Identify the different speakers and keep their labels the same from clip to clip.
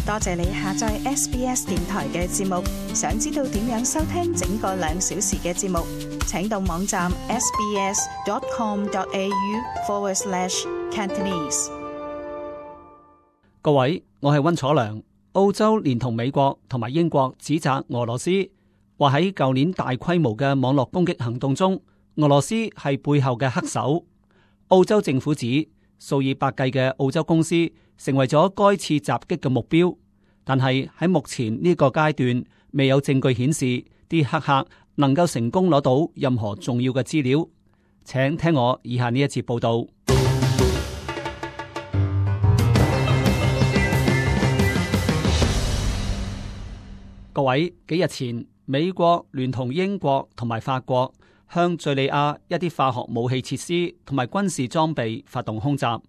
Speaker 1: 多謝你下載 SBS 電台嘅節目。想知道點樣收聽整個2小時嘅節目，請到網站 sbs.com.au/Cantonese。
Speaker 2: 各位，我係溫楚良。澳洲連同美國同埋英國指責俄羅斯，話喺舊年大規模嘅網絡攻擊行動中，俄羅斯係背後嘅黑手。澳洲政府指數以百計嘅澳洲公司成為咗該次襲擊嘅目標，但係喺目前呢個階段未有證據顯示啲黑客能夠成功攞到任何重要嘅資料。請聽我以下呢一節報道。各位，幾日前美國聯同英國同埋法國向敘利亞一啲化學武器設施同埋軍事裝備發動空襲，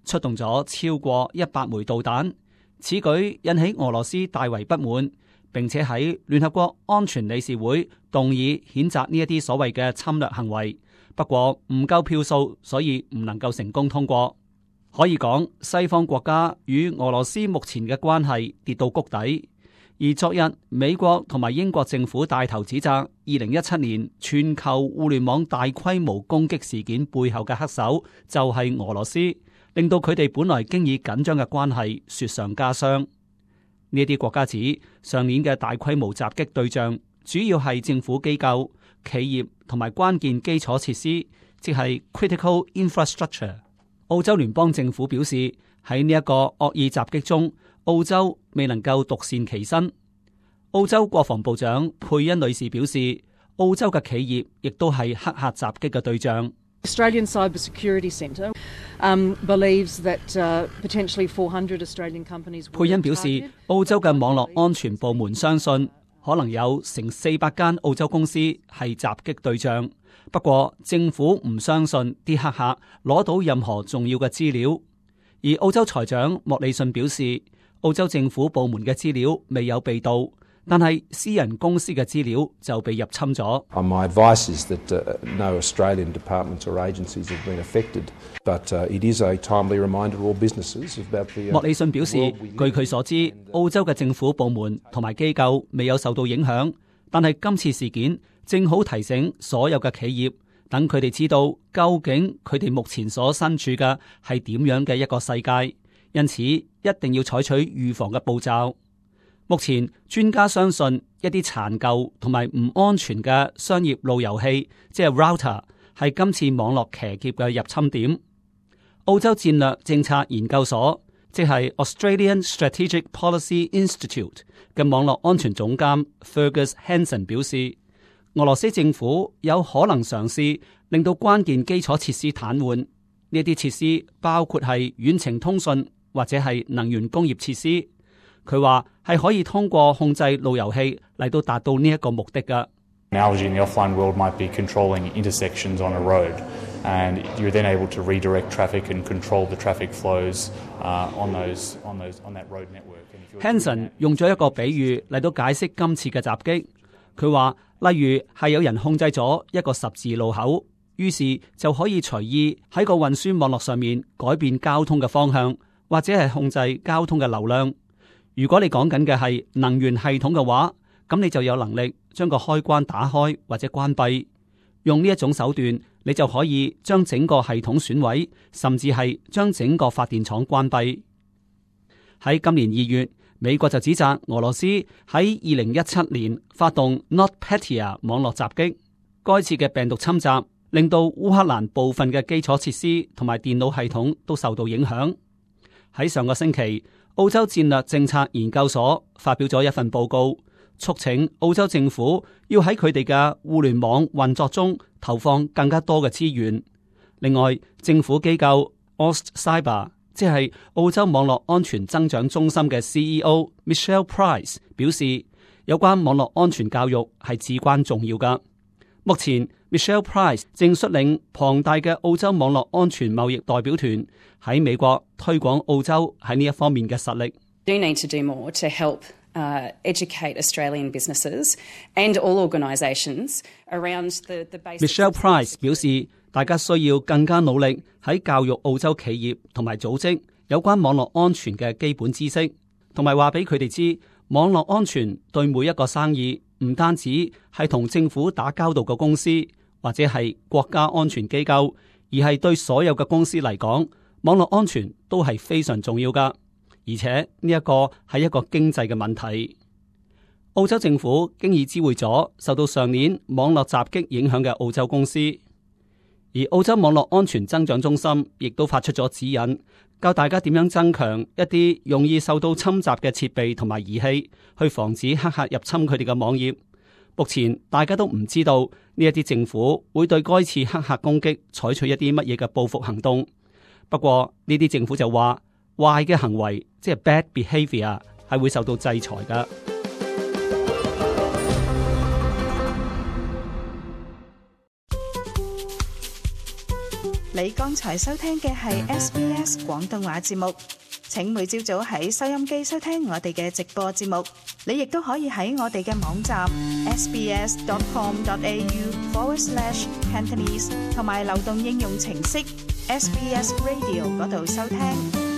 Speaker 2: 出動咗超過100枚導彈。此舉引起俄羅斯大為不滿，並且喺聯合國安全理事會動議譴責呢一啲所謂嘅侵略行為。不過唔夠票數，所以唔能夠成功通過。可以講，西方國家與俄羅斯目前嘅關係跌到谷底。而昨日，美國同埋英國政府帶頭指責2017年全球互聯網大規模攻擊事件背後嘅黑手就係俄羅斯，令到佢哋本來經已緊張嘅關係雪上加霜。呢啲國家指上年嘅大規模襲擊對象主要係政府機構、企業同埋關鍵基礎設施，即係 critical infrastructure。澳洲聯邦政府表示，喺呢一個惡意襲擊中，澳洲未能夠獨善其身。澳洲國防部長佩恩女士表示，澳洲嘅企業亦都係黑客襲擊嘅對象。
Speaker 3: Australian Cybersecurity Centre believes that potentially 400 Australian companies。
Speaker 2: 佩恩表示，澳洲嘅網絡安全部門相信可能有成400間澳洲公司係襲擊對象，不過政府唔相信啲黑客攞到任何重要嘅資料。而澳洲財長莫里遜表示，澳洲政府部門嘅資料未有被盜，但係私人公司嘅資料就被入侵咗。
Speaker 4: My advice is that no Australian departments or agencies have been affected, but it is a timely reminder to all businesses about the。
Speaker 2: 莫里遜表示，據佢所知，澳洲嘅政府部門同埋機構未有受到影響，但係今次事件正好提醒所有嘅企業，等佢哋知道究竟佢哋目前所身處嘅係點樣嘅一個世界，因此一定要採取預防嘅步驟。目前專家相信一啲殘舊同埋唔安全嘅商業路由器，即係 router， 係今次網絡騎劫嘅入侵點。澳洲戰略政策研究所，即係 Australian Strategic Policy Institute 嘅網絡安全總監 Fergus Hanson 表示，俄羅斯政府有可能嘗試令到關鍵基礎設施癱瘓。呢啲設施包括係遠程通訊或者係能源工業設施。佢話係可以通過控制路由器嚟到達到呢一個目的㗎。
Speaker 5: Analogy in the offline world might be controlling intersections on a road, and you're then able to redirect traffic and control the traffic flows on that road network.
Speaker 2: Hanson 用咗一個比喻嚟到解釋今次嘅襲擊。佢話，例如係有人控制咗一個十字路口，於是就可以隨意喺個運輸網絡上面改變交通嘅方向，或者係控制交通嘅流量。如果你講緊嘅係能源系統嘅話，咁你就有能力將個開關打開或者關閉。用呢一種手段，你就可以將整個系統損毀，甚至係將整個發電廠關閉。喺今年2月，美國就指責俄羅斯喺2017年發動 NotPetya 網絡襲擊。該次嘅病毒侵襲令到烏克蘭部分嘅基礎設施同埋電腦系統都受到影響。喺上個星期，澳洲戰略政策研究所發表咗一份報告，促請澳洲政府要喺佢哋嘅互聯網運作中投放更加多嘅資源。另外，政府機構 AustCyber， 即係澳洲網絡安全增長中心嘅 CEO Michelle Price 表示，有關網絡安全教育係至關重要㗎。目前 Michelle Price 正率領龐大嘅澳洲網絡安全貿易代表團喺美國推廣澳洲喺呢一方面嘅實力。
Speaker 6: Do need to do more to help educate Australian businesses and all organisations around the basics.
Speaker 2: Michelle Price 表示，大家需要更加努力喺教育澳洲企業同埋組織有關網絡安全嘅基本知識。同埋話俾佢哋知，網絡安全對每一個生意唔單止係同政府打交道嘅公司或者係國家安全機構，而係對所有嘅公司嚟講，網絡安全都係非常重要噶。而且呢一個係一個經濟嘅問題。澳洲政府經已知會咗受到上年網絡襲擊影響嘅澳洲公司，而澳洲網絡安全增長中心亦都發出咗指引，教大家點樣增強一啲容易受到侵襲嘅設備同埋儀器，去防止黑客入侵佢哋嘅網頁。目前大家都唔知道呢一啲政府會對該次黑客攻擊採取一啲乜嘢嘅報復行動。不過呢啲政府就話，壞嘅行為即係 bad behavior 係會受到制裁㗎。
Speaker 1: 你剛才收聽嘅係 SBS 廣東話節目，請每朝早喺收音機收聽我哋嘅直播節目。你亦都可以喺我哋嘅網站 sbs.com.au/Cantonese 同埋流動應用程式 SBS Radio 嗰度收聽。